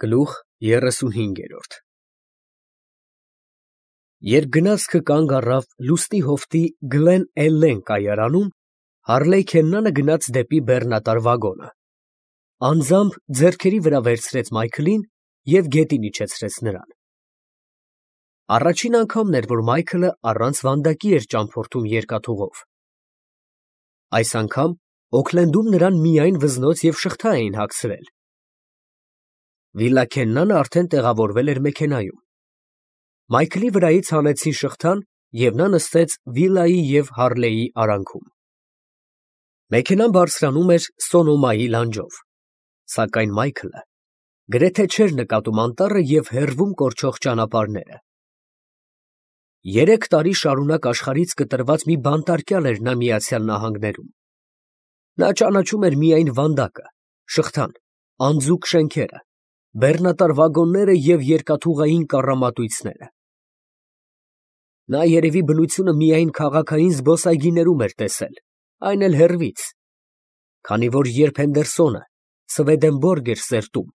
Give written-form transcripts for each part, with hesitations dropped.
Գլուխ 35 Երբ գնացքը կանգ առավ լուսնի հովտի Գլեն Էլլեն կայարանում, Հարլեյ Քեննանը գնաց դեպի բեռնատար վագոնը, անձամբ ձեռքերի վրա վերցրեց Մայքլին և գետին իջեցրեց նրան։ Առաջին անգամն էր, որ Մայքլը առանց վանդակի էր ճամփորդում երկաթուղով։ Այս անգամ Օքլենդում նրան միայն վզնոց և շղթա էին հագցրել։ Վիլլա Քեննանը արդեն տեղավորվել էր մեքենայում։ Մայքլի վրայից հանեցին շղթան, և նա նստեց Վիլլայի և Հարլեյի արանքում։ Մեքենան բարձրանում էր Սոնոմայի լանջով, սակայն Մայքլը գրեթե չէր նկատում անտառը և հեռվում կորչող ճանապարհները։ 3 տարի շարունակ աշխարհից կտրված մի բանտարկյալ էր նա Միացյալ Նահանգներում։ Նա ճանաչում էր միայն վանդակը, շղթան, անձուկ շենքերը, բեռնատար վագոնները և երկաթուղային կառամատույցները։ Նա երևի բնությունը միայն քաղաքային զբոսայգիներում էր տեսել, այն էլ հեռվից, քանի որ երբ Հենդերսոնը Սվեդենբորգ էր սերտում,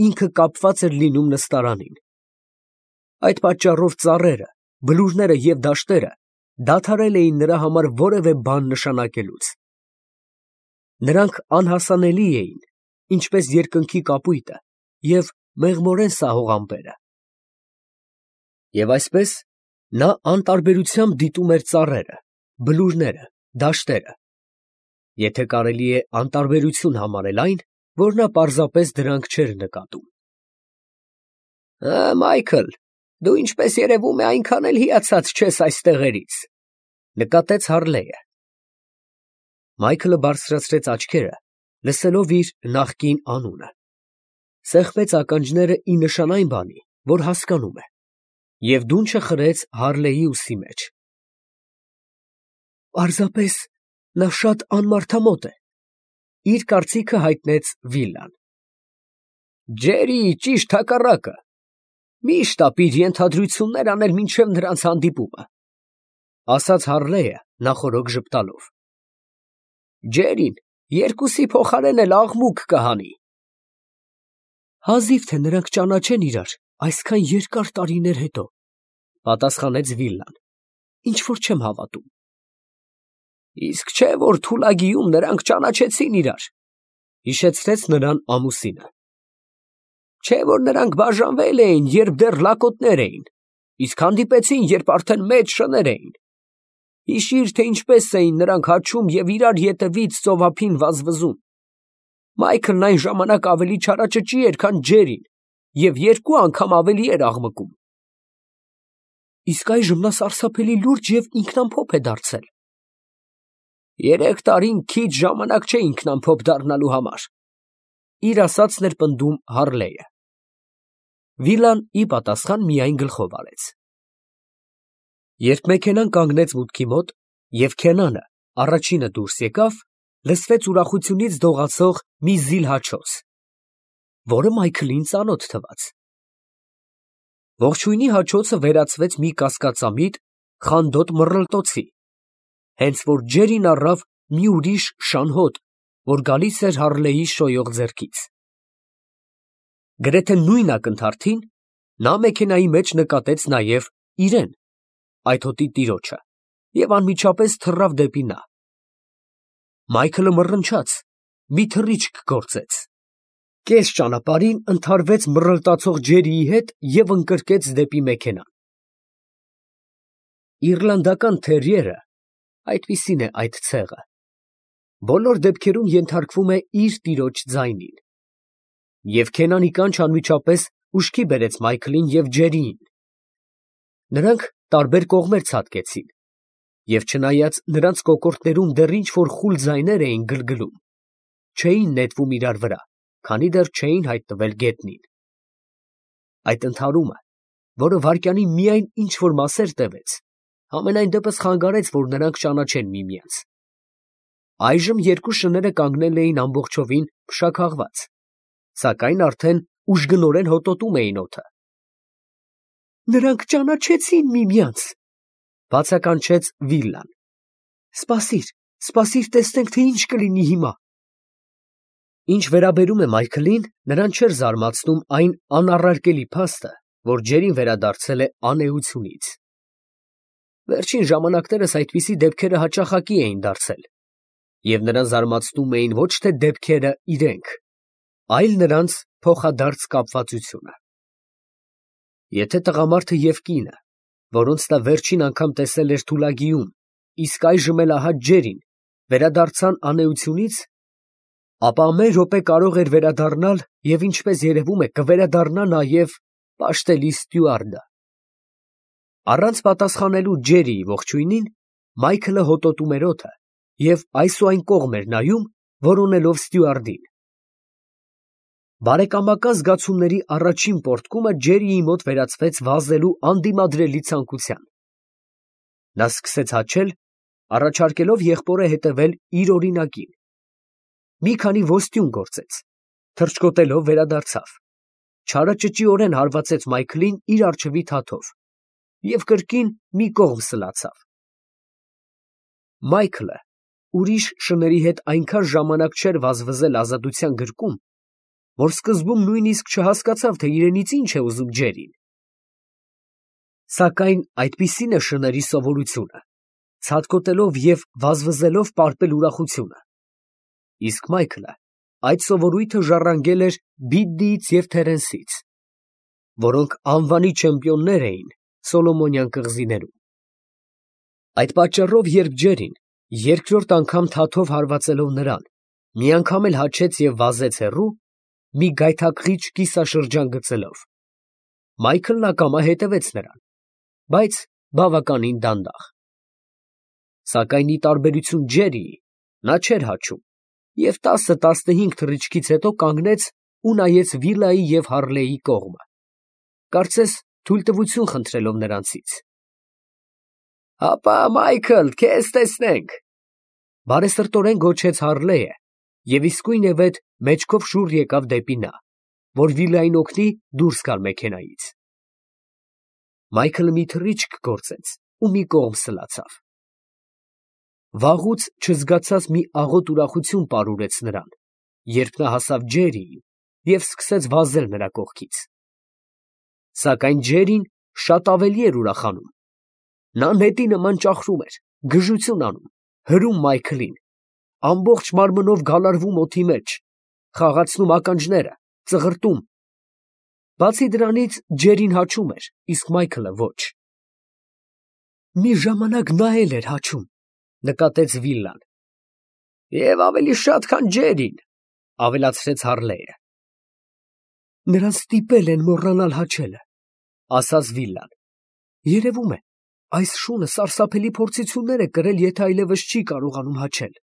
ինքը կապված էր լինում նստարանին։ Այդ պատճառով ծառերը, բլուրները և դաշտերը դադարել էին նրա համար որևէ բան նշանակելուց։ Նրանք անհասանելի էին, ինչպես երկնքի կապույտը և մեղմորեն սահող ամպերը։ Եվ այսպես նա անտարբերությամբ դիտում էր ծառերը, բլուրները, դաշտերը, եթե կարելի է անտարբերություն համարել այն, որ նա պարզապես դրանք չէր նկատում։ Մայքլ, դու ինչպես երևում է այնքան էլ հիացած չես այս տեղերից, նկատեց Հարլեյը։ Մայքլը բարձրացրեց աչքերը, լսելով իր նախկին անունը, սեղմեց ականջները ի նշան այն բանի, որ հասկանում է, և դունչը խրեց Հարլեյի ուսի մեջ։ Պարզապես նա շատ անմարդամոտ է, իր կարծիքը հայտնեց Վիլլան։ Ջերի, ճիշտ հակառակը, միշտ ապիր ենթադրություններ անել մինչև նրանց հանդիպումը, ասաց Հարլեյը նախօրոք ժպտալով։ Ջերին երկուսի փոխարեն էլ աղմուկ կհանի։ Հազիվ թե նրանք ճանաչեն իրար այսքան երկար տարիներ հետո, պատասխանեց Վիլլան, ինչ որ չեմ հավատում։ Իսկ չէ, որ Թուլագիում նրանք ճանաչեցին իրար, հիշեցրեց նրան ամուսինը։ Չէ, որ նրանք բաժանվել էին, երբ դեռ լակոտներ էին, իսկ հանդիպեցին, երբ արդեն մեծ շներ էին։ Հիշիր, թե ինչպես էին նրանք հաչում և իրար ետևից ծովափին վազվզում։ Մայքլն այն ժամանակ ավելի չարաճճի էր, քան Ջերին, և 2 անգամ ավելի էր աղմկում։ Իսկ այժմ նա սարսափելի լուրջ և ինքնամփոփ է դարձել։ 3 տարին քիչ ժամանակ չէ ինքնամփոփ դառնալու համար, իր ասածն էր պնդում Հարլեյը։ Վիլլան ի պատասխան միայն գլխով արեց։ Երբ մեքենան կանգնեց մուտքի մոտ, և Քենանը առաջինը դուրս եկավ, լսվեց ուրախությունից դողացող մի զիլ հաչոց, որը Մայքլին ծանոթ թվաց։ Ողջույնի հաչոցը վերածվեց մի կասկածամիտ, խանդոտ մռռլտոցի, հենց որ Ջերին առավ մի ուրիշ շանհոտ, որ գալիս էր Հարլեյի շոյող ձեռքից։ Գրեթե նույն ակնթարթին նա մեքենայի մեջ նկատեց նաև իրեն, այդ հոտի տիրոջը, և անմիջապես թռավ դեպի նա։ Մայքլը մռնչաց, մի թռիչք գործեց, կես ճանապարհին ընդհարվեց մռռլտացող Ջերիի հետ և ընկրկեց դեպի մեքենան։ Իռլանդական թերիերը, այդպիսին է այդ ցեղը, բոլոր դեպքերում ենթարկվում է իր տիրոջ ձայնին, և Քենանի կանչն անմիջապես ուշքի բերեց Մայքլին և Ջերիին։ Նրանք տարբեր կողմեր ցատկեցին, և չնայած նրանց կոկորդներում դեռ ինչ֊որ խուլ ձայներ էին գլգլում, չէին նետվում իրար վրա, քանի դեռ չէին հայտնվել գետնին։ Այդ ընդհարումը, որը վայրկյանին միայն ինչ֊որ մասեր տևեց, համենայն դեպս խանգարեց, որ նրանք ճանաչեն միմյանց։ Այժմ 2 շները կանգնել էին ամբողջովին փշաքաղված, սակայն արդեն ուժգնորեն հոտոտում էին օդը։ Նրանք ճանաչեցին միմյանց, բացականչեց Վիլլան։ Սպասիր, տեսնենք, թե ինչ կլինի հիմա։ Ինչ վերաբերում է Մայքլին, նրան չէր զարմացնում այն անառարկելի փաստը, որ Ջերին վերադարձել է անէությունից։ Վերջին ժամանակներս այդպիսի դեպքերը հաճախակի էին դարձել, և նրան զարմացնում էին ոչ թե դեպքերը իրենք, այլ նրանց փոխադարձ կապվածությունը։ Եթե տղամարդը և կինը, որոնց նա վերջին անգամ տեսել էր Թուլագիում, իսկ այժմ էլ ահա Ջերին, վերադարձան անէությունից, ապա ամեն րոպե կարող էր վերադառնալ և, ինչպես երևում է, կվերադառնա նաև պաշտելի ստյուարդը։ Առանց պատասխանելու Ջերիի ողջույնին, Մայքլը հոտոտում էր օդը և այս ու այն կողմ էր նայում, որոնելով ստյուարդին։ Բարեկամական զգացումների առաջին պոռթկումը Ջերիի մոտ վերածվեց վազելու անդիմադրելի ցանկության։ Նա սկսեց հաչել, առաջարկելով եղբորը հետևել իր օրինակին։ Մի քանի ոստյուն գործեց, թռչկոտելով վերադարձավ, չարաճճիորեն հարվածեց Մայքլին իր առջևի թաթով և կրկին մի կողմ սլացավ։ Մայքլը ուրիշ շների հետ այնքան ժամանակ չէր վազվզել ազատության գրկում, որ սկզբում նույնիսկ չհասկացավ, թե իրենից ինչ է ուզում Ջերին։ Սակայն այդպիսին է շների սովորությունը, ցատկոտելով և վազվզելով պարպել ուրախությունը, իսկ Մայքլը այդ սովորույթը ժառանգել էր Բիդդիից և Թերենսից, որոնք անվանի չեմպիոններ էին Սոլոմոնյան կղզիներում։ Այդ պատճառով, երբ Ջերին երկրորդ անգամ թաթով հարվածելով նրան, միանգամ էլ հաչեց և վազեց հեռու, մի գայթակղիչ կիսաշրջան գծելով, Մայքլն ակամա հետևեց նրան, բայց բավականին դանդաղ։ Սակայն ի տարբերություն Ջերիի, նա չէր հաչում և 10-15 թռիչքից հետո կանգնեց ու նայեց վիլայի և Հարլեի կողմը, կարծես թույլտվություն խնդրելով նրանցից։ «Հապա, Մայքլ, քեզ տեսնենք», բարեսրտորեն գոչեց Հարլեը և իսկույնևեթ մեջքով շուռ եկավ դեպի նա, որ վիլային օգնի դուրս գալ մեքենայից։ Մայքլը մի թռիչք գործեց ու մի կողմ սլացավ։ Վաղուց չզգացած մի աղոտ ուրախություն պարուրեց նրան, երբ նա հասավ Ջերիին և սկսեց վազել նրա կողքից։ Սակայն Ջերին շատ ավելի էր ուրախանում։ Նա նետի նման ճախրում էր, գժություն անում, հրում Մայքլին, ամբողջ մարմնով գալարվում օդի մեջ, խաղացնում ականջները, ծղրտում։ Բացի դրանից Ջերին հաչում էր, իսկ Մայքլը ոչ։ «Մի ժամանակ նա էլ էր հաչում», նկատեց Վիլան։ «Եվ ավելի շատ, քան Ջերին», ավելացրեց Հարլեը։ «Նրան ստիպել են մոռանալ հաչելը», ասաց Վիլան։ «Երևում է, այս շունը սարսափելի փորձություններ է կրել, եթե այլևս չի կարողանում հաչել»։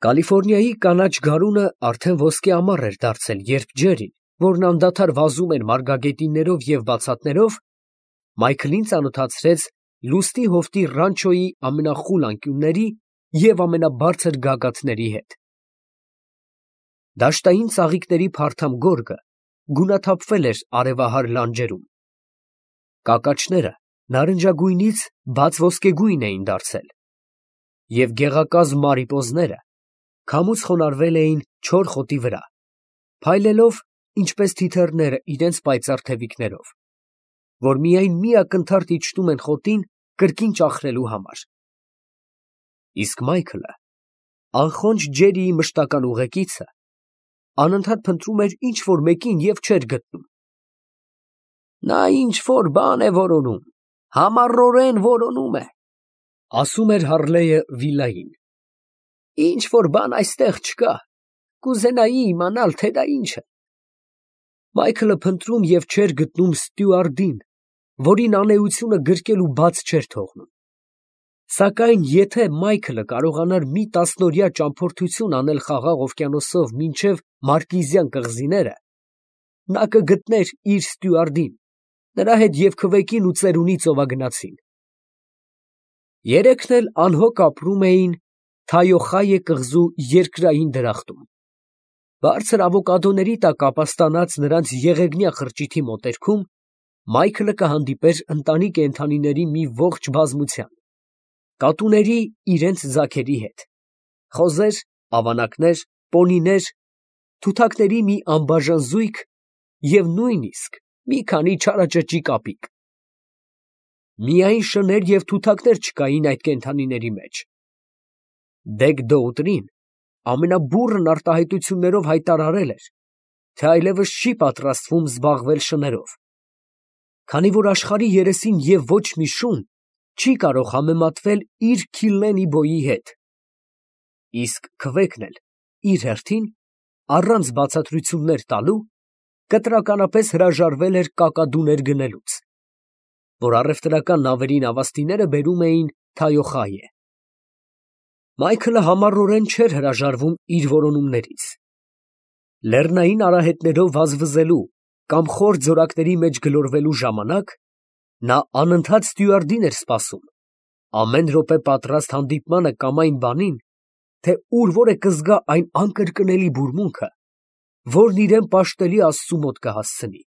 Կալիֆոռնիայի կանաչ գարունը արդեն ոսկե ամառ էր դարձել, երբ Ջերին, որն անդադար վազում էր մարգագետիններով և բացատներով, Մայքլին ծանոթացրեց լուսնի հովտի ռանչոյի ամենախուլ անկյունների և ամենաբարձր գագաթների հետ։ Դաշտային ծաղիկների փարթամ գորգը գունաթափվել էր արևահար լանջերում։ Կակաչները նարնջագույնից բաց ոսկեգույն էին դարձել, և գեղակազմ մարիպոզները քամուց խոնարհվել էին չոր խոտի վրա, փայլելով, ինչպես թիթեռները իրենց պայծառ թևիկներով, որ միայն մի ակնթարթ իջնում են խոտին կրկին ճախրելու համար։ Իսկ Մայքլը, անխոնջ Ջերիի մշտական ուղեկիցը, անընդհատ փնտրում էր ինչ֊որ մեկին և չէր գտնում։ «Նա ինչ֊որ բան է որոնում, համառորեն որոնում է», ասում էր Հարլեը Վիլային։ «Ինչ֊որ բան այստեղ չկա, կուզենայի իմանալ, թե դա ինչ է»։ Մայքլը փնտրում և չէր գտնում ստյուարդին, որին անէությունը գրկել ու բաց չէր թողնում։ Սակայն եթե Մայքլը կարողանար մի տասնօրյա ճամփորդություն անել Խաղաղ օվկիանոսով մինչև Մարկիզյան կղզիները, նա կգտներ իր ստյուարդին, նրա հետ և քվեքին ու ծերունի ծովագնացին։ Երեքն էլ անհոգ ապրում էին Թայոխայե կղզու երկրային դրախտում։ Բարձր ավոկադոների տակ ապաստանած նրանց եղեգնյա խրճիթի մոտերքում Մայքլը կհանդիպեր ընտանի կենդանիների մի ողջ բազմության, կատուների իրենց ձագերի հետ, խոզեր, ավանակներ, պոնիներ, թութակների մի անբաժան զույգ և նույնիսկ մի քանի չարաճճի կապիկ։ Միայն շներ և թութակներ չկային այդ կենդանիների մեջ։ Դեգ-Դոուտրին ամենաբուռն արտահայտություններով հայտարարել էր, թե այլևս չի պատրաստվում զբաղվել շներով, քանի որ աշխարհի երեսին և ոչ մի շուն չի կարող համեմատվել իր Քիլենի-բոյի հետ, իսկ Քվեքն էլ իր հերթին, առանց բացատրություններ տալու, կտրականապես հրաժարվել էր կակադուներ գնելուց, որ առևտրական նավերի նավաստիները բերում էին Թայոխայե։ Մայքլը համառորեն չէր հրաժարվում իր որոնումներից։ Լեռնային արահետներով վազվզելու կամ խոր ձորակների մեջ գլորվելու ժամանակ նա անընդհատ ստյուարդին էր սպասում, ամեն րոպե պատրաստ հանդիպմանը կամ այն բանին, թե ուր որ է կզգա այն անկրկնելի բուրմունքը, որն իրան պաշտելի Աստծու մոտ կհասցնի։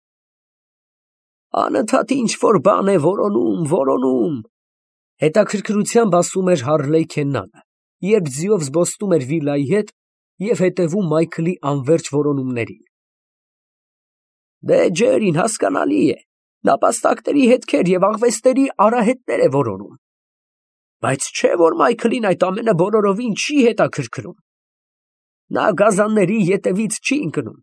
Անընդհատ ինչ-որ բան է որոնում, հետաքրքրությամբ ասում էր Հարլեյ Քեննանը, երբ ձիով զբոսնում էր վիլայի հետ և հետևում Մայքլի անվերջ որոնումներին։ Դե Ջերին հասկանալի է, նապաստակների հետքեր և աղվեսների արահետներ է որոնում, բայց չէ որ Մայքլին այդ ամենը բոլորովին չի հետաքրքրում։ Նա գազանների ետևից չի ընկնում,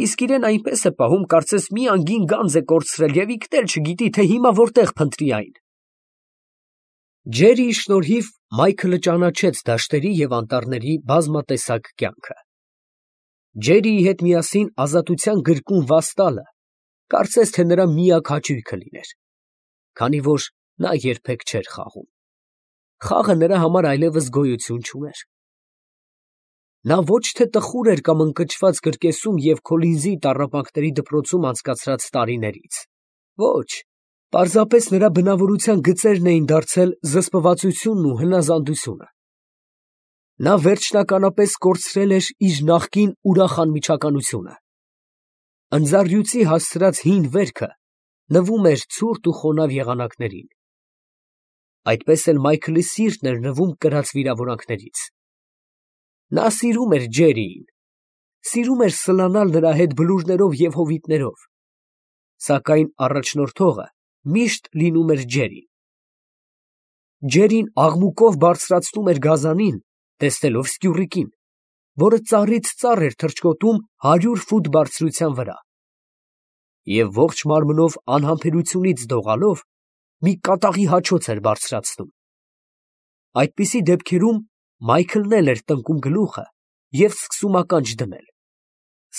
իսկ իրեն այնպես է պահում, կարծես մի անգին գանձ է կորցրել և ինքն էլ չգիտի, թե հիմա որտեղ փնտրի այն։ Ջերիի շնորհիվ Մայքլը ճանաչեց դաշտերի և անտառների բազմատեսակ կյանքը։ Ջերիի հետ միասին ազատության գրկում վազ տալը կարծես թե նրա միակ հաճույքը լիներ, քանի որ նա երբեք չէր խաղում։ Խաղը նրա համար այլևս գոյություն չուներ։ Նա ոչ թե տխուր էր կամ ընկճված կրկեսում և Քոլինզի տառապանքների դպրոցում անցկացրած տարիներից։ Ոչ, պարզապես նրա բնավորության գծերն էին դարձել զսպվածությունն ու հնազանդությունը։ Նա վերջնականապես կորցրել էր իր նախկին ուրախ անմիջականությունը։ Ընձառյուծի հասցրած հին վերքը նվում էր ցուրտ ու խոնավ եղանակներին։ Այդպես էլ Մայքլի սիրտն էր նվում կրած վիրավորանքներից։ Նա սիրում էր Ջերիին, սիրում էր սլանալ նրա հետ բլուրներով և հովիտներով, սակայն առաջնորդողը միշտ լինում էր Ջերին։ Ջերին աղմուկով բարձրացնում էր գազանին, տեսնելով սկյուռիկին, որը ծառից ծառ էր թռչկոտում 100 ֆուտ բարձրության վրա, և ողջ մարմնով անհամբերությունից դողալով մի կատաղի հաչոց էր բարձրացնում։ Այդպիսի դեպքերում Մայքլն էլ էր տնկում գլուխը և սկսում ականջ դնել,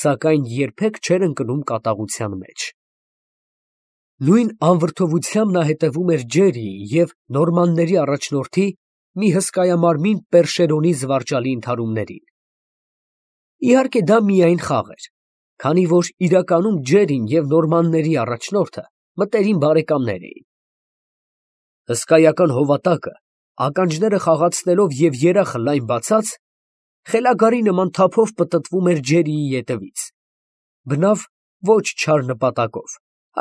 սակայն երբեք չէր ընկնում կատաղության մեջ։ Նույն անվրդովությամբ նա հետևում էր Ջերիի և նորմանների առաջնորդի մի հսկայամարմին Պերշերոնի զվարճալի ընդհարումներին։ Իհարկե դա միայն խաղ էր, քանի որ իրականում Ջերին և նորմանների առաջնորդը մտերիմ բարեկամներ էին։ Հսկայական հովատակը, ականջները խաղացնելով և երախը լայն բացած, խելագարի նման թափով պտտվում էր Ջերիի ետևից, բնավ ոչ չար նպատակով,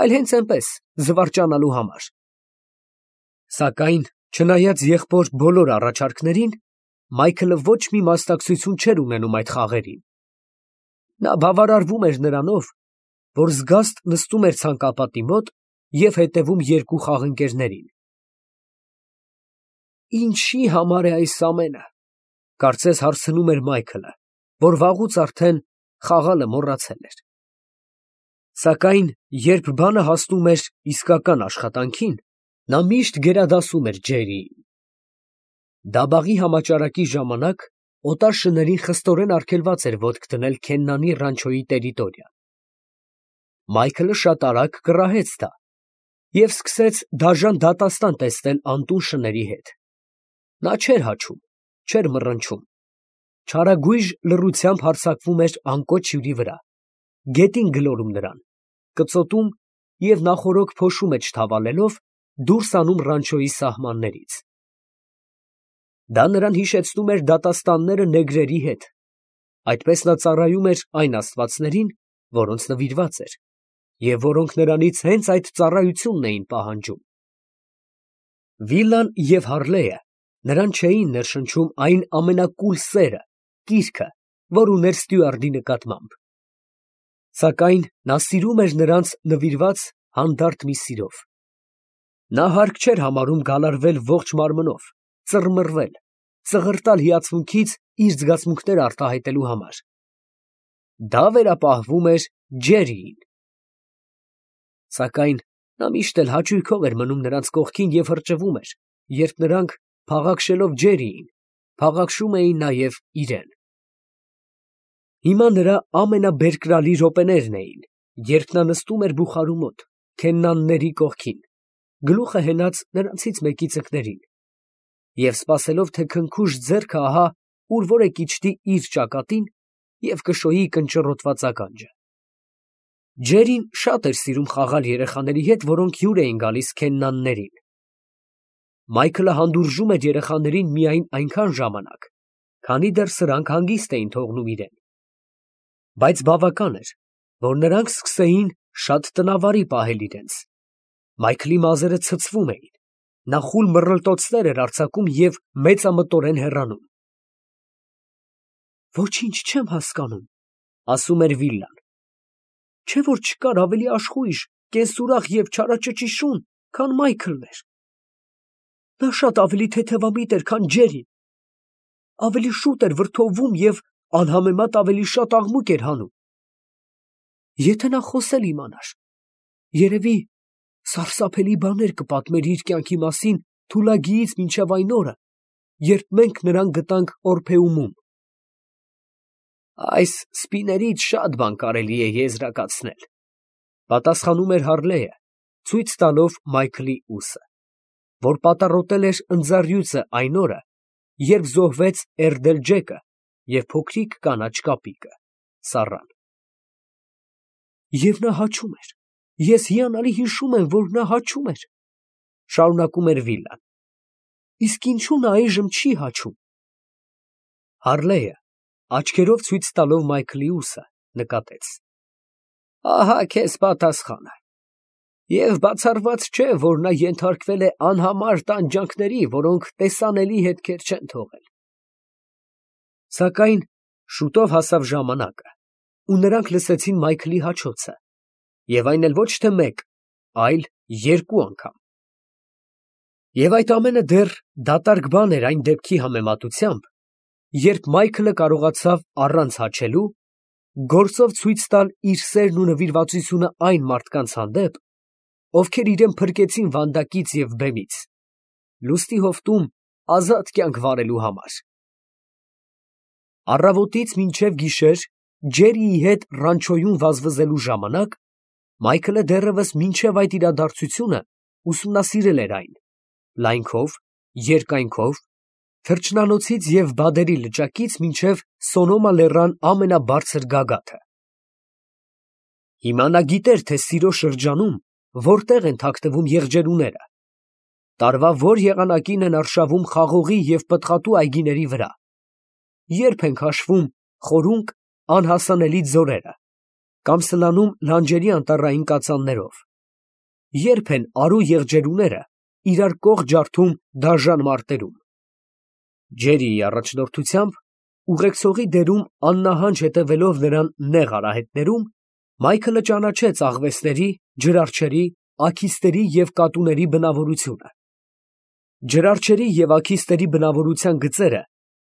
այլ հենց այնպես զվարճանալու համար։ Սակայն չնայած եղբոր բոլոր առաջարկներին, Մայքլը ոչ մի մասնակցություն չէր ունենում այդ խաղերին։ Նա բավարարվում էր նրանով, որ զգաստ նստում էր ցանկապատի մոտ և հետևում երկու խաղընկերներին։ Ինչի համար է այս ամենը, կարծես հարցնում էր Մայքլը, որ վաղուց արդեն խաղալը մոռացել էր։ Սակայն երբ բանը հասնում էր իսկական աշխատանքին, նա միշտ գերադասում էր Ջերիին։ Դաբաղի համաճարակի ժամանակ օտար շներին խստորեն արգելված էր ոտք դնել Քեննանի ռանչոյի տերիտորիան։ Մայքլը շատ արագ կռահեց դա և սկսեց դաժան դատաստան տեսնել անտուն շների հետ։ Նա չէր հաչում, չէր մռնչում, չարագույժ լռությամբ հարձակվում էր անկոչ հյուրի վրա, գետին գլորում նրան, կծոտում և նախօրոք փոշու մեջ թավալելով դուրս անում ռանչոյի սահմաններից։ Դա նրան հիշեցնում էր դատաստանները նեգրերի հետ, այդպես նա ծառայում էր այն աստվածներին, որոնց նվիրված էր, և որոնք նրանից հենց այդ ծառայությունն էին պահանջում։ Վիլան և Հարլեյը նրան չէին ներշնչում այն ամենակուլ սերը, կիրքը, որ ուներ Ստյուարտի նկատմամբ։ Սակայն նա սիրում էր նրանց նվիրված հանդարտ մի սիրով։ Նա հարկ չէր համարում գալարվել ողջ մարմնով, ծռմռվել, ծղրտալ հիացմունքից իր զգացմունքները արտահայտելու համար։ Դա վերապահվում էր Ջերիին։ Սակայն նա միշտ էլ հաճույքով էր մնում նրանց կողքին և հրճվում էր, երբ նրանք, փաղաքշելով Ջերիին, փաղաքշում էին նաև իրեն։ Հիմա նրա ամենաբերկրալի րոպեներն էին, երբ նա նստում էր բուխարու մոտ, քեննանների կողքին, գլուխը հենած նրանցից մեկի ծնկներին, և սպասելով, թե քնքուշ ձեռքը ահա ուր որ է կիչտի իր ճակատին և կշոյի կնճռոտված ականջը։ Ջերին շատ էր սիրում խաղալ երեխաների հետ, որոնք հյուր էին գալիս քեննաններին։ Մայքլը հանդուրժում էր երեխաներին միայն այնքան ժամանակ, քանի դեռ սրանք հանգիստ էին թողնում իրեն։ Բայց բավական էր, որ նրանք սկսեին շատ տնավարի պահել իրենց։ Մայքլի մազերը ցցվում էին, նա խուլ մռլտոցներ էր արձակում և մեծամտորեն հեռանում։ «Ոչինչ չեմ հասկանում», ասում էր Վիլլան։ «Չէ՞ որ չկար ավելի աշխույժ, կենսուրախ և չարաճճի շուն, քան Մայքլն էր։ Նա շատ ավելի թեթևամիտ էր, քան Ջերին, ավելի շուտ էր վրդովվում և անհամեմատ ավելի շատ աղմուկ էր հանում։ Եթե նա խոսել իմանար, երևի սարսափելի բաներ կպատմեր իր կյանքի մասին Թուլագիից մինչև այն օրը, երբ մենք նրան գտանք Օրփեումում»։ «Այս սպիներից շատ բան կարելի է եզրակացնել», պատասխանում էր Հարլեը, ցույց տալով Մայքլի ուսը, որ պատառոտել էր ընձառյուծը այն օրը, երբ զոհվեց Էրդել֊Ջեկը և փոքրիկ կանաչ կապիկը՝ Սառան։ «Եվ նա հաչում էր, ես հիանալի հիշում եմ, որ նա հաչում էր», շարունակում էր Վիլլան։ «Իսկ ինչու նա այժմ չի հաչում»։ Հարլեը, աչքերով ցույց տալով Մայքլի ուսը, նկատեց. «Ահա քեզ պատասխանը։ Եվ բացառված չէ, որ նա ենթարկվել է անհամար տանջանքների, որոնք տեսանելի հետքեր չեն թողել»։ Սակայն շուտով հասավ ժամանակը, ու նրանք լսեցին Մայքլի հաչոցը, և այն էլ ոչ թե մեկ, այլ երկու անգամ։ Եվ այդ ամենը դեռ դատարկ բան էր այն դեպքի համեմատությամբ, երբ Մայքլը կարողացավ առանց հաչելու գործով ցույց տալ իր սերն ու նվիրվածությունը այն մարդկանց հանդեպ, ովքեր իրեն փրկեցին վանդակից և բեմից, լուստի հովտում ազատ կյանք վարելու համար։ Առավոտից մինչև գիշեր Ջերիի հետ ռանչոյում վազվզելու ժամանակ Մայքլը դեռևս մինչև այդ իրադարձությունը ուսումնասիրել էր այն, լայնքով, երկայնքով, թռչնանոցից և բադերի լճակից մինչև Սոնոմա լեռան ամենաբարձր գագաթը։ Հիմա նա գիտեր, թե Սիրո շրջանում որտեղ են թաքնվում եղջերուները, տարվա որ եղանակին են արշավում խաղողի և պտղատու այգիների վրա, երբ են քաշվում խորունկ անհասանելի ձորերը, կամ սլանում լանջերի անտառային կածաններով, երբ են արու եղջերուները իրար կողք ջարդում դաժան մարտերում։ Ջերիի առաջնորդությամբ, ուղեկցողի դերում աննահանջ հետևելով նրան նեղ արահետներում, Մայքլը ճանաչեց աղվեսների, ջրարջերի, աքիստերի և կատուների բնավորությունը։ Ջրարջերի և աքիստերի բնավորության գծերը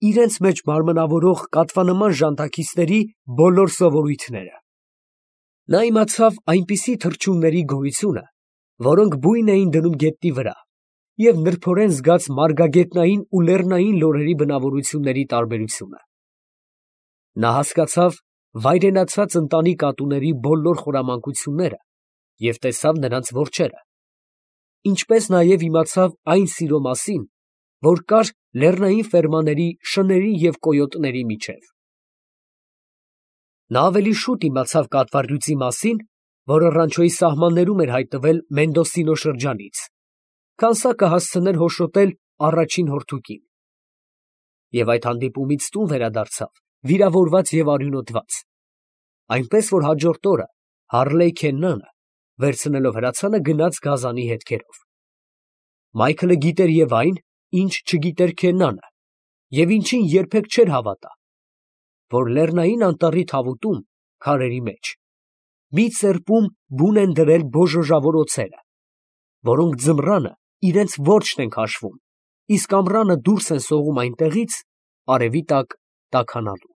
իրենց մեջ մարմնավորող կատվանման ժանթաքիստերի բոլոր սովորույթները։ Նա իմացավ այնպիսի թռչունների գոյությունը, որոնք բույն էին դնում գետնի վրա, և նրբորեն զգաց մարգագետնային ու լեռնային լորերի բնավորությունների տարբերությունը։ Նա հասկացավ վայրենացած ընտանի կատուների բոլոր խորամանկությունները և տեսավ նրանց որջերը, ինչպես նաև իմացավ այն սիրո մասին, որ կար լեռնային ֆերմաների շների և կոյոտների միջև։ Նա ավելի շուտ իմացավ կատվառյուծի մասին, որը Ռանչոյի սահմաններում էր հայտնվել Մենդոսինո շրջանից, քան սա կհասցներ հոշոտել առաջին հորթուկին։ Եվ այդ հանդիպումից տուն վերադարձավ վիրավորված և արյունոտված, այնպես որ հաջորդ օրը Հարլեյ Քեննանը, վերցնելով հրացանը, գնաց գազանի հետքերով։ Մայքլը գիտեր և այն, ինչ չգիտեր Քեննանը, և ինչին երբեք չէր հավատա, որ լեռնային անտառի թավուտում, քարերի մեջ, մի ծերպում բուն են դրել բոժոժավոր օձերը, որոնք ձմռանը իրենց որջն են քաշվում, իսկ ամռանը դուրս են սողում այնտեղից, արևի տակ տաքանալու։